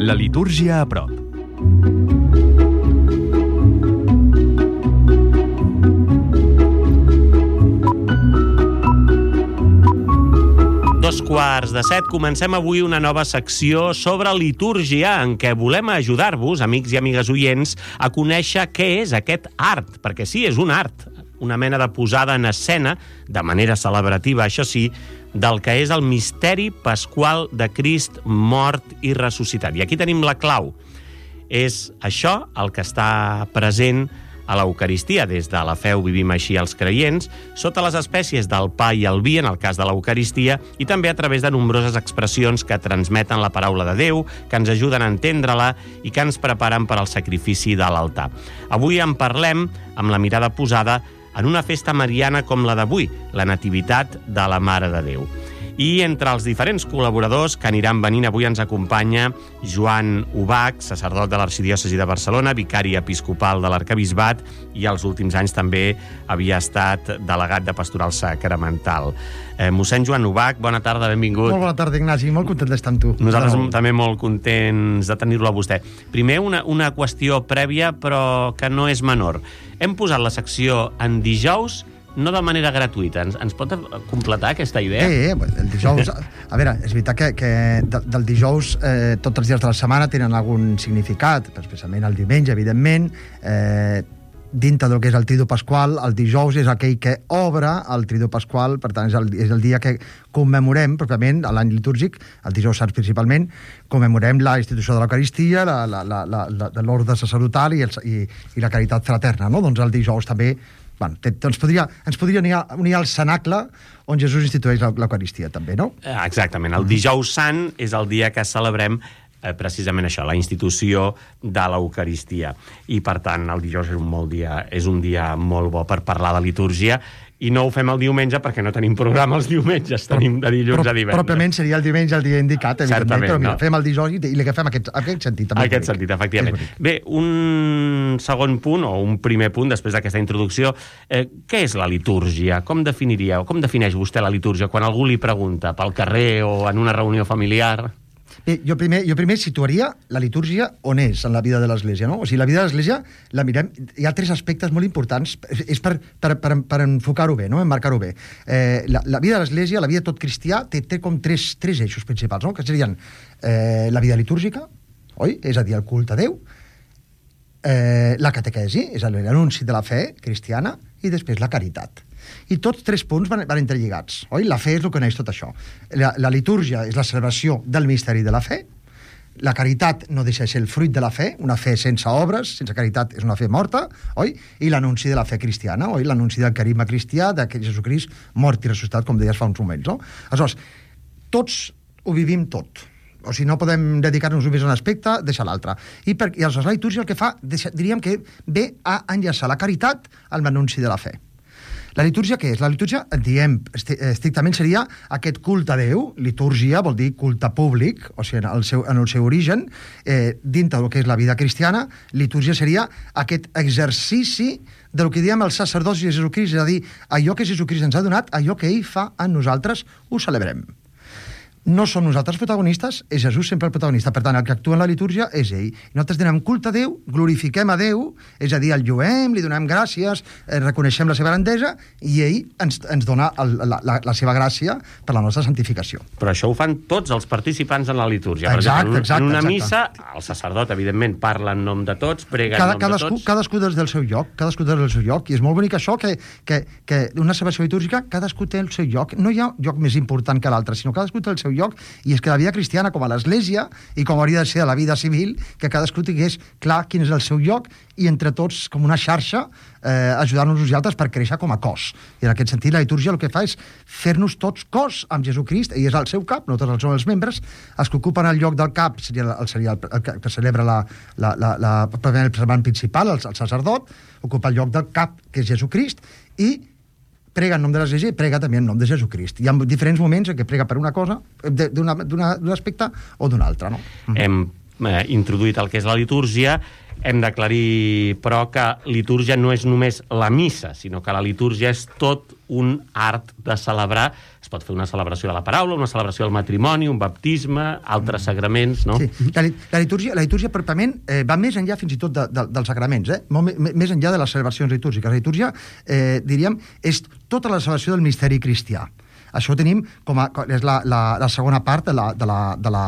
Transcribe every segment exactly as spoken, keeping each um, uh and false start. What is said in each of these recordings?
La litúrgia a prop. Dos quarts de set, comencem avui una nova secció sobre litúrgia en què volem ajudar-vos, amics i amigues oients, a conèixer què és aquest art, perquè sí, és un art, una mena de posada en escena, de manera celebrativa, això sí, del que és el misteri pasqual de Crist mort i ressuscitat. I aquí tenim la clau. És això el que està present a l'Eucaristia. Des de la fe ho vivim així els creients, sota les espècies del pa i el vi, en el cas de l'Eucaristia, i també a través de nombroses expressions que transmeten la paraula de Déu, que ens ajuden a entendre-la i que ens preparen per al sacrifici de l'altar. Avui en parlem amb la mirada posada en una festa mariana com la d'avui, la Nativitat de la Mare de Déu. I entre els diferents col·laboradors que aniran venint, avui ens acompanya Joan Ubach, sacerdot de l'Arxidiòcesi de Barcelona, vicari episcopal de l'Arquebisbat i als últims anys també havia estat delegat de Pastoral Sacramental. Eh, mossèn Joan Ubach, bona tarda, benvingut. Molt bona tarda, Ignasi, molt content d'estar amb tu. Nosaltres no. també molt contents de tenir-lo a vostè. Primer, una, una qüestió prèvia, però que no és menor. Hem posat la secció en dijous, no de manera gratuïta. Ens, ens pot completar aquesta idea? Sí, el dijous... A veure, és veritat que, que del dijous eh, tots els dies de la setmana tenen algun significat, especialment el diumenge, evidentment. Eh, dintre del que és el Tridu Pasqual, el dijous és aquell que obre el Tridu Pasqual, per tant, és el, és el dia que commemorem, pròpiament, a l'any litúrgic, el dijous sants principalment, commemorem la institució de l'Eucaristia, la, la, la, la, la, l'ordre sacerdotal i, el, i, i la caritat fraterna, no? Doncs el dijous també... Bueno, ens podria, ens podria unir, unir al cenacle on Jesús institueix l'Eucaristia, també, no? Exactament. El dijous sant és el dia que celebrem eh, precisament això, la institució de l'Eucaristia. I, per tant, el dijous és un, molt dia, és un dia molt bo per parlar de litúrgia, i no ho fem el diumenge perquè no tenim programa els diumenges, tenim de dilluns però, a divendres. Pròpiament seria el diumenge el dia indicat, evidentment, certament, però mira, no? Fem el dijous i li agafem aquest, aquest sentit. També aquest sentit, efectivament. Bé, un segon punt, o un primer punt, després d'aquesta introducció, eh, què és la litúrgia? Com definiria, o com defineix vostè la litúrgia quan algú li pregunta pel carrer o en una reunió familiar? Bé, jo primer, jo primer situaria la litúrgia on és en la vida de l'Església, no? O sigui, la vida de l'Església la mirem... Hi ha tres aspectes molt importants, és per, per, per, per enfocar-ho bé, no? Emmarcar-ho bé. Eh, la, la vida de l'Església, la vida de tot cristià, té, té com tres, tres eixos principals, no? Que serien eh, la vida litúrgica, oi? És a dir, el culte a Déu, eh, la catequesi, és a dir, l'anunci de la fe cristiana, i després la caritat. I tots tres punts van, van interlligats, oi? La fe és el que neix tot això. La, la litúrgia és la celebració del misteri de la fe, la caritat no deixa de ser el fruit de la fe, una fe sense obres, sense caritat és una fe morta, oi? I l'anunci de la fe cristiana, oi? L'anunci del carisma cristià, de Jesucrist mort i ressuscitat, com deies fa uns moments, no? Aleshores, tots ho vivim tot. O sigui, no podem dedicar-nos només a un aspecte, deixar l'altre. I, per, I aleshores la litúrgia el que fa, diríem que ve a enllaçar la caritat amb l'anunci de la fe. La litúrgia què és? La litúrgia, diem, estrictament seria aquest culte a Déu. Litúrgia vol dir culte públic, o sigui, en el seu, en el seu origen, eh, dintre del que és la vida cristiana, litúrgia seria aquest exercici del que diem els sacerdots de Jesucrist, és a dir, allò que Jesucrist ens ha donat, allò que ell fa a nosaltres, ho celebrem. No som nosaltres protagonistes, és Jesús sempre el protagonista. Per tant, el que actua en la litúrgia és ell. Nosaltres donem culte a Déu, glorifiquem a Déu, és a dir, el lluem, li donem gràcies, eh, reconeixem la seva grandesa, i ell ens, ens dona el, la, la, la seva gràcia per la nostra santificació. Però això ho fan tots els participants en la litúrgia. Exacte, per exemple, exacte. En una exacte. missa, el sacerdot, evidentment, parla en nom de tots, prega Cada, en nom cadascú, de tots. Cadascú des del seu lloc, cadascú des del seu lloc, i és molt bonic això, que, que, que una celebració litúrgica, cadascú té el seu lloc. No hi ha lloc més important que l'altre, sinó cadascú té el seu lloc, i és que la vida cristiana, com a l'Església, i com hauria de ser a la vida civil, que cadascú tingués clar quin és el seu lloc, i entre tots, com una xarxa, eh, ajudar-nos uns i altres per créixer com a cos. I en aquest sentit, la litúrgia el que fa és fer-nos tots cos amb Jesucrist, ell és el seu cap, nosaltres som els membres, els que ocupen el lloc del cap seria el, seria el, el que celebra la, la, la, la, el celebrant principal, el, el sacerdot, ocupa el lloc del cap, que és Jesucrist, i prega en nom de l'Església i prega també en nom de Jesucrist. Hi ha diferents moments en què prega per una cosa, d'un aspecte o d'un altre, no? Hem eh, introduït el que és la litúrgia Hem d'aclarir, però, que litúrgia no és només la missa, sinó que la litúrgia és tot un art de celebrar. Es pot fer una celebració de la paraula, una celebració del matrimoni, un baptisme, altres sagraments, no? Sí. La, la litúrgia, la litúrgia pròpiament, eh, va més enllà fins i tot de, de, dels sagraments, eh? Molt més enllà de les celebracions litúrgiques. La litúrgia, eh, diríem, és tota la celebració del misteri cristià. Això ho tenim com a... és la, la, la segona part de la... De la, de la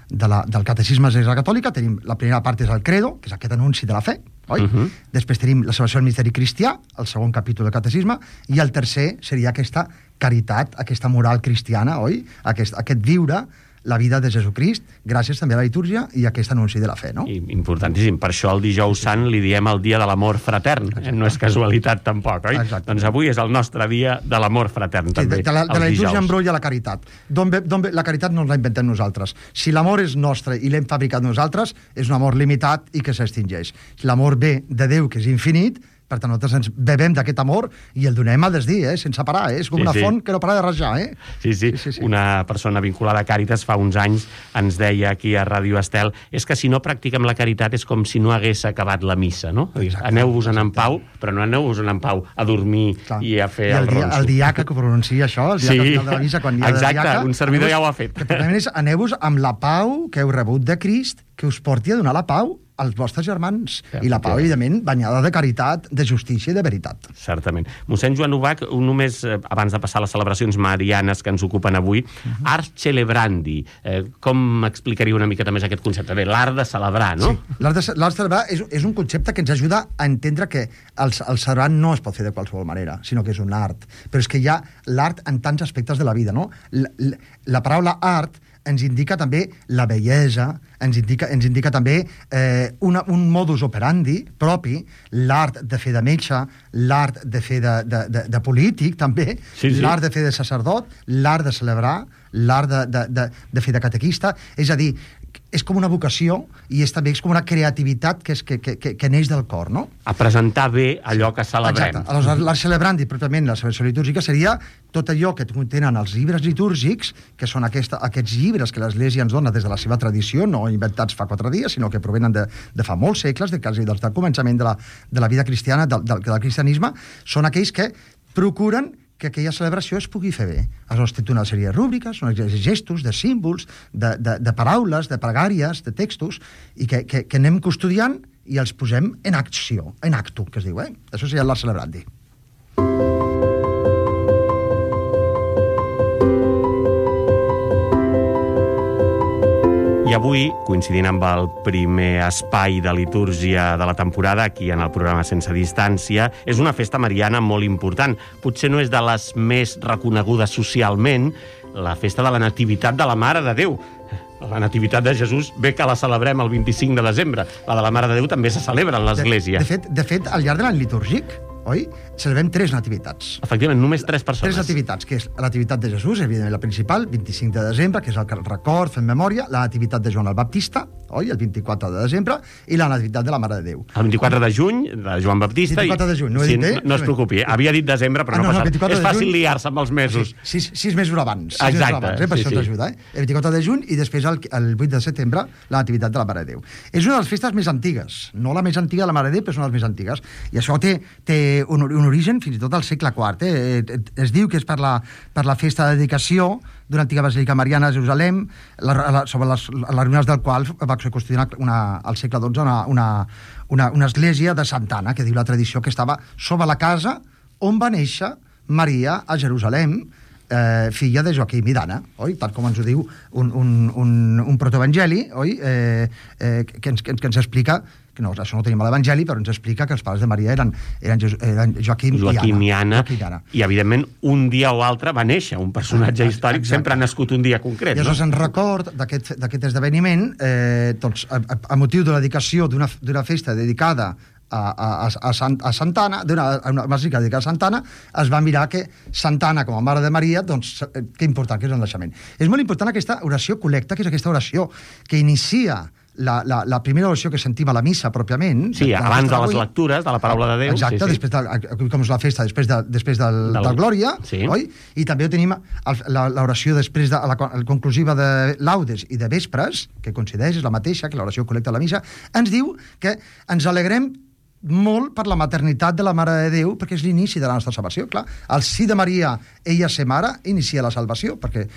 De la, del catecisme de l'Església Catòlica. Tenim la primera part és el credo, que és aquest anunci de la fe, oi? Uh -huh. Després tenim la celebració del misteri cristià, el segon capítol del catecisme, i el tercer seria aquesta caritat, aquesta moral cristiana, oi? Aquest, aquest viure la vida de Jesucrist, gràcies també a la litúrgia i a aquest anunci de la fe, no? I, importantíssim. Per això el dijous sant li diem el dia de l'amor fratern. Eh? No és casualitat, tampoc, oi? Exacte. Doncs avui és el nostre dia de l'amor fratern, també, sí, de, de la, de la litúrgia dijous. embrolla la caritat. D'on ve, d'on ve, la caritat no la inventem nosaltres. Si l'amor és nostre i l'hem fabricat nosaltres, és un amor limitat i que s'extingeix. L'amor ve de Déu, que és infinit, per tant, nosaltres ens bevem d'aquest amor i el donem a desdir, eh? Sense parar, eh? És com sí, una sí. font que no para de rajar, eh? Sí, sí. sí, sí, sí. Una persona vinculada a Càritas fa uns anys ens deia aquí a Ràdio Estel és que si no practiquem la caritat és com si no hagués acabat la missa, no? Aneu-vos-en en pau, però no aneu-vos-en en pau a dormir Clar. i a fer I el, el ronso. El diaca que pronuncia això, el diaca sí. al final de la missa, quan hi ha Exacte, de diaca... un servidor ja ho ha fet. És, aneu-vos amb la pau que heu rebut de Crist, que us porti a donar la pau als vostres germans. Ja, I la pau, ja. evidentment, banyada de caritat, de justícia i de veritat. Certament. Mossèn Joan Ubach, només eh, abans de passar a les celebracions marianes que ens ocupen avui, uh-huh. art celebrandi. Eh, com explicaria una miqueta més aquest concepte? Bé, l'art de celebrar, no? Sí. L'art de, l'art de celebrar és, és un concepte que ens ajuda a entendre que el, el celebrar no es pot fer de qualsevol manera, sinó que és un art. Però és que hi ha l'art en tants aspectes de la vida, no? La, la, la paraula art ens indica també la bellesa, ens indica, ens indica també eh, una, un modus operandi propi, l'art de fer de metge, l'art de fer de, de, de, de polític, també, sí, sí. l'art de fer de sacerdot, l'art de celebrar, l'art de, de, de, de fer de catequista. És a dir, és com una vocació i és també és com una creativitat que, és, que, que, que neix del cor, no? A presentar bé allò que celebrem. Exacte. Aleshores, l'art celebrandi, pròpiament, la celebració litúrgica, seria tot allò que contenen els llibres litúrgics, que són aquesta, aquests llibres que l'Església ens dona des de la seva tradició, no inventats fa quatre dies, sinó que provenen de, de fa molts segles, de quasi del començament de la, de la vida cristiana, del, del, del cristianisme, són aquells que procuren que aquella celebració es pugui fer bé. Aleshores, té una sèrie de rúbriques, una sèrie de gestos, de símbols, de, de, de paraules, de pregàries, de textos, i que, que, que anem custodiant i els posem en acció, en acto, que es diu, eh? Això seria l'art celebrandi. I avui, coincidint amb el primer espai de litúrgia de la temporada, aquí en el programa Sense Distància, és una festa mariana molt important. Potser no és de les més reconegudes socialment, la festa de la Nativitat de la Mare de Déu. La Nativitat de Jesús bé que la celebrem el vint-i-cinc de desembre. La de la Mare de Déu també se celebra a l'Església. De, de, fet, de fet, al llarg de l'any litúrgic, oi? Celebrem tres nativitats. Efectivament, només tres persones. Tres nativitats, que és la nativitat de Jesús, evidentment la principal, vint-i-cinc de desembre, que és el record, fem memòria, la nativitat de Joan el Baptista, oi? El vint-i-quatre de desembre, i la nativitat de la Mare de Déu. El vint-i-quatre de juny, de Joan Baptista... vint-i-quatre de juny, no he sí, dit, eh? No, no es preocupi, havia dit desembre, però ah, no, no passa. És fàcil liar-se amb els mesos. Sí, sis, sis mesos abans. Sis Exacte. Mesos abans, eh? Per sí, això sí. t'ajuda, eh? El vint-i-quatre de juny i després el, el vuit de setembre, la nativitat de la Mare de Déu. És una de les festes més antigues, no la més antiga de la Mare de Déu, però és una de les més antigues. I això té, té un, un origen fins i tot al segle quart. Eh? Es diu que és per la, per la festa de dedicació d'una antiga basílica mariana a Jerusalem, la, la, sobre les, les ruïnes del qual va construir una, al segle dotze una, una, una, una església de Santa Anna, que diu la tradició que estava sobre la casa on va néixer Maria a Jerusalem, eh, filla de Joaquim i d'Anna, oi? Tal com ens ho diu un, un, un, un protoevangeli, oi? Eh, eh, que, ens, que, ens, que ens explica que no, això no ho tenim a l'Evangeli, però ens explica que els pares de Maria eren, eren, eren Joaquim, Joaquim i Anna. Joaquim i Anna. I, evidentment, un dia o altre va néixer un personatge exacte, històric, exacte. Sempre ha nascut un dia concret. I aleshores, no? En record d'aquest esdeveniment, eh, doncs, a, a, a motiu de la dedicació d'una festa dedicada a, a, a, Sant, a Santa Anna, d'una una basílica dedicada a Santa Anna, es va mirar que Santa Anna, com a mare de Maria, doncs, que important que és el naixement. És molt important aquesta oració col·lecta, que és aquesta oració que inicia la, la, la primera oració que sentim a la missa, pròpiament... Sí, de, abans de les lectures, de la paraula de Déu. Exacte, sí, sí. després de, com és la festa, després, de, després del, del, del Glòria, sí. oi? I també tenim l'oració després de la, la conclusiva de Laudes i de Vespres, que coincideix, és la mateixa que l'oració col·lecta a la missa, ens diu que ens alegrem molt per la maternitat de la Mare de Déu, perquè és l'inici de la nostra salvació. Clar, el sí de Maria, ella ser mare, inicia la salvació, perquè,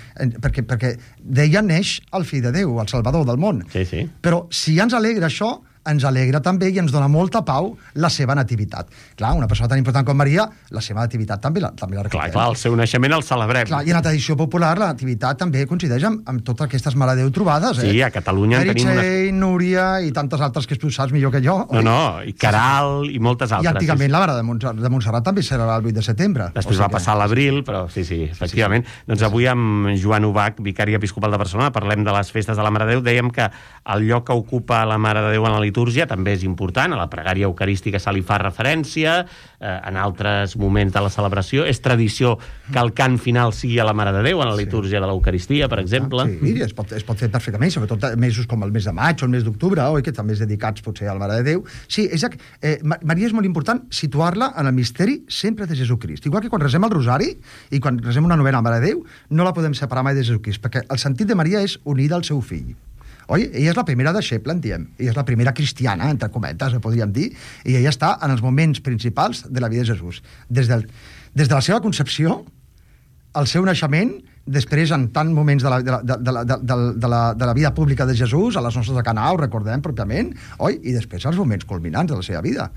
perquè, perquè d'ella neix el fill de Déu, el Salvador del món. Sí, sí. Però si ja ens alegra això, ens alegra també i ens dona molta pau la seva nativitat. Clar, una persona tan important com Maria, la seva nativitat també la, també la recordem. Clar, clar, el seu naixement el celebrem. Clar, i en la tradició popular la nativitat també coincideix amb, amb totes aquestes Mare de Déu trobades. Eh? Sí, a Catalunya en tenim... Meritxell, una... Núria i tantes altres que tu saps millor que jo. No, no, i Caral i moltes altres. I antigament sí, sí. La Mare de Montserrat, de Montserrat també serà el vuit de setembre. Després o sigui va passar que... l'abril, però sí, sí, efectivament. Sí, sí. Doncs avui amb Joan Ubach, vicari episcopal de Barcelona, parlem de les festes de la Mare de Déu. Dèiem que el lloc que ocupa la Mare de Déu en la litúrgia també és important, a la pregària eucarística se li fa referència, eh, en altres moments de la celebració. És tradició que el cant final sigui a la Mare de Déu, en la litúrgia sí. de l'Eucaristia, per exemple. Sí, es pot, es pot fer perfectament, sobretot mesos com el mes de maig o el mes d'octubre, oi, que també és dedicats potser a la Mare de Déu. Sí, és, eh, Maria és molt important situar-la en el misteri sempre de Jesucrist. Igual que quan resem el rosari i quan resem una novena a la Mare de Déu, no la podem separar mai de Jesucrist, perquè el sentit de Maria és unida al seu fill. Oi? Ella és la primera deixeble, en diem. Ella és la primera cristiana, entre cometes, podríem dir, i ella està en els moments principals de la vida de Jesús. Des, del, des de la seva concepció, el seu naixement, després en tants moments de la, de, la, de, la, de, la, de, la, de la vida pública de Jesús, a les nostres de Cana, ho recordem pròpiament, oi? I després els moments culminants de la seva vida.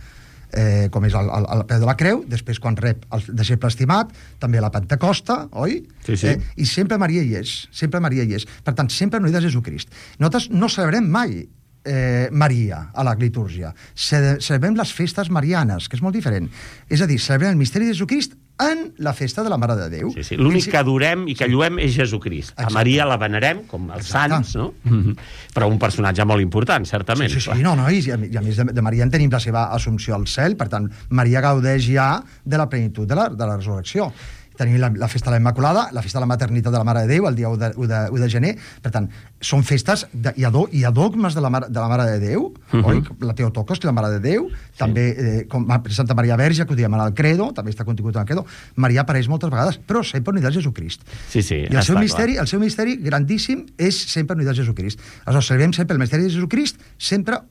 Eh, com és el, el, el peu de la creu, després quan rep el deixeble estimat, també a la Pentecosta, oi? Sí, sí. Eh, I sempre Maria hi és, sempre Maria hi és. Per tant, sempre unida a Jesucrist. Nosaltres no celebrem mai eh, Maria a la litúrgia. Celebrem les festes marianes, que és molt diferent. És a dir, celebrem el misteri de Jesucrist en la festa de la Mare de Déu. Sí, sí. L'únic que adorem i que lluem és Jesucrist. Exacte. A Maria la venerem, com els Exacte. Sants, no? Mm-hmm. Però un personatge molt important, certament. Sí, sí, sí. No, no, i, i a més de, de Maria en tenim la seva assumpció al cel, per tant, Maria gaudeix ja de la plenitud de la, de la resurrecció. Tenim la, la festa de la Immaculada, la festa de la maternitat de la Mare de Déu, el dia u de, u de, u de gener. Per tant, són festes, de, hi, ha do, hi ha dogmes de la, Mare, de la Mare de Déu, uh-huh. oi? La Teotocos, que la Mare de Déu, sí. també eh, com Santa Maria Verge, que ho diem en el Credo, també està contingut en el Credo. Maria apareix moltes vegades, però sempre unida a Jesucrist. Sí, sí, I el seu, misteri, el seu misteri grandíssim és sempre unida a Jesucrist. Aleshores, celebrem sempre el misteri de Jesucrist, sempre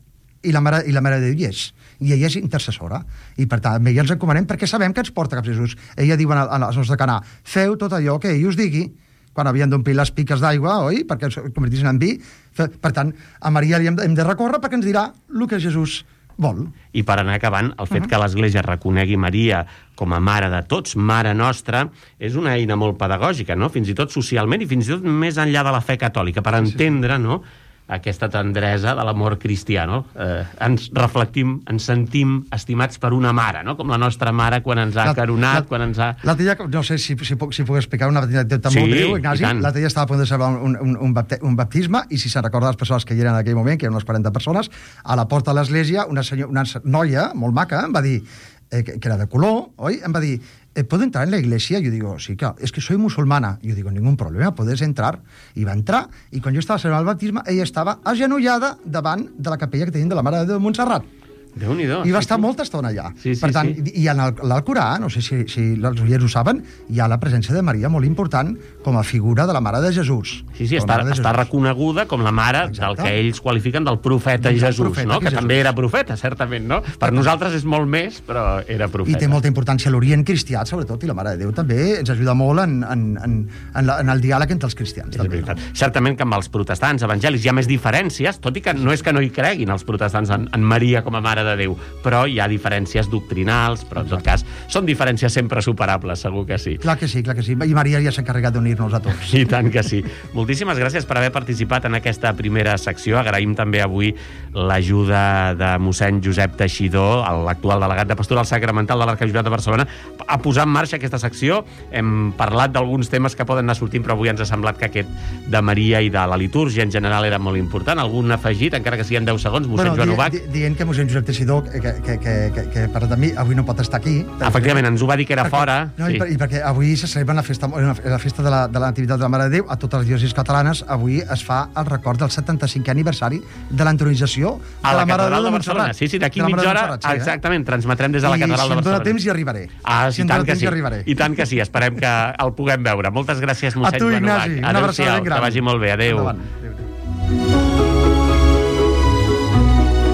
i la Mare, i la Mare de Déu hi és. I ella és intercessora. I per tant, ella ens encomanem perquè sabem que ens porta cap Jesús. Ella diu als nostres de Canà, feu tot allò que ell us digui, quan havien d'omplir les piques d'aigua, oi? Perquè es convertissin en vi. Per tant, a Maria li hem de, hem de recórrer perquè ens dirà el que Jesús vol. I per anar acabant, el fet uh-huh. que l'Església reconegui Maria com a mare de tots, mare nostra, és una eina molt pedagògica, no? Fins i tot socialment i fins i tot més enllà de la fe catòlica, per entendre, no?, aquesta tendresa de l'amor cristià, no? Eh, ens reflectim, ens sentim estimats per una mare, no? Com la nostra mare quan ens ha la, caronat, la, quan ens ha... L'altre dia, no sé si, si, puc, si puc explicar una petita sí, molt breu, Ignasi. L'altre dia estava a punt de celebrar un, un, un, bapte, un baptisme, i si se'n recorda les persones que hi eren en aquell moment, que eren unes quaranta persones, a la porta de l'església, una, senyor, una noia molt maca em va dir, eh, que, que era de color, oi? Em va dir, ¿puedo entrar en la iglesia? Yo digo, sí, claro, es que soy musulmana. Yo digo, ningún problema, puedes entrar. I va entrar, i quan jo estava celebrant el baptisme, ella estava agenollada davant de la capella que tenim de la Mare de Déu de Montserrat. Déu-n'hi-do. I va sí, estar sí. molta estona allà. Sí, sí, per tant, sí. I en l'Alcorà, no sé si, si els oients ho saben, hi ha la presència de Maria molt important com a figura de la Mare de Jesús. Sí, sí, està, està reconeguda com la mare Exacte. Del que ells qualifiquen del profeta del Jesús, profeta, no? Que, que també era profeta, certament, no? Per nosaltres és molt més, però era profeta. I té molta importància l'Orient cristià, sobretot, i la Mare de Déu també ens ajuda molt en, en, en, en, la, en el diàleg entre els cristians. També, no? Certament que amb els protestants evangèlics hi ha més diferències, tot i que no és que no hi creguin els protestants en, en Maria com a Mare de Déu, però hi ha diferències doctrinals, però en tot cas són diferències sempre superables, segur que sí. Clar que sí, clar que sí. I Maria ja s'ha encarregat d'unir-nos a tots. I tant que sí. Moltíssimes gràcies per haver participat en aquesta primera secció. Agraïm també avui l'ajuda de mossèn Josep Teixidor, l'actual delegat de Pastoral Sacramental de l'Arquebisbat de Barcelona, a posar en marxa aquesta secció. Hem parlat d'alguns temes que poden anar sortint, però avui ens ha semblat que aquest de Maria i de la litúrgia en general era molt important. Algun afegit, encara que siguin deu segons, mossèn bueno, Joan Ubach? Di, dient que mossèn Josep Teixidor, que, que, que, que, que per mi avui no pot estar aquí. Efectivament, ens ho va dir que era perquè, fora. No, sí. i, per, I perquè avui se celebra la festa, la festa de la, de la Nativitat de la Mare de Déu a totes les diòcesis catalanes. Avui es fa el record del setanta-cinquè aniversari de l'entronització de la Mare de Déu de Montserrat. Sí, sí, d'aquí mitja hora, sí, exactament, transmetrem des de la Catedral de Barcelona. I si em dóna temps hi arribaré. Ah, si i tant que sí. Arribaré. I tant que sí, esperem que el puguem veure. Moltes gràcies, mossèn Joan Ubach. A tu, Ignasi, una abraçada ben gran. Que vagi molt bé, adéu. Endavant. Adéu.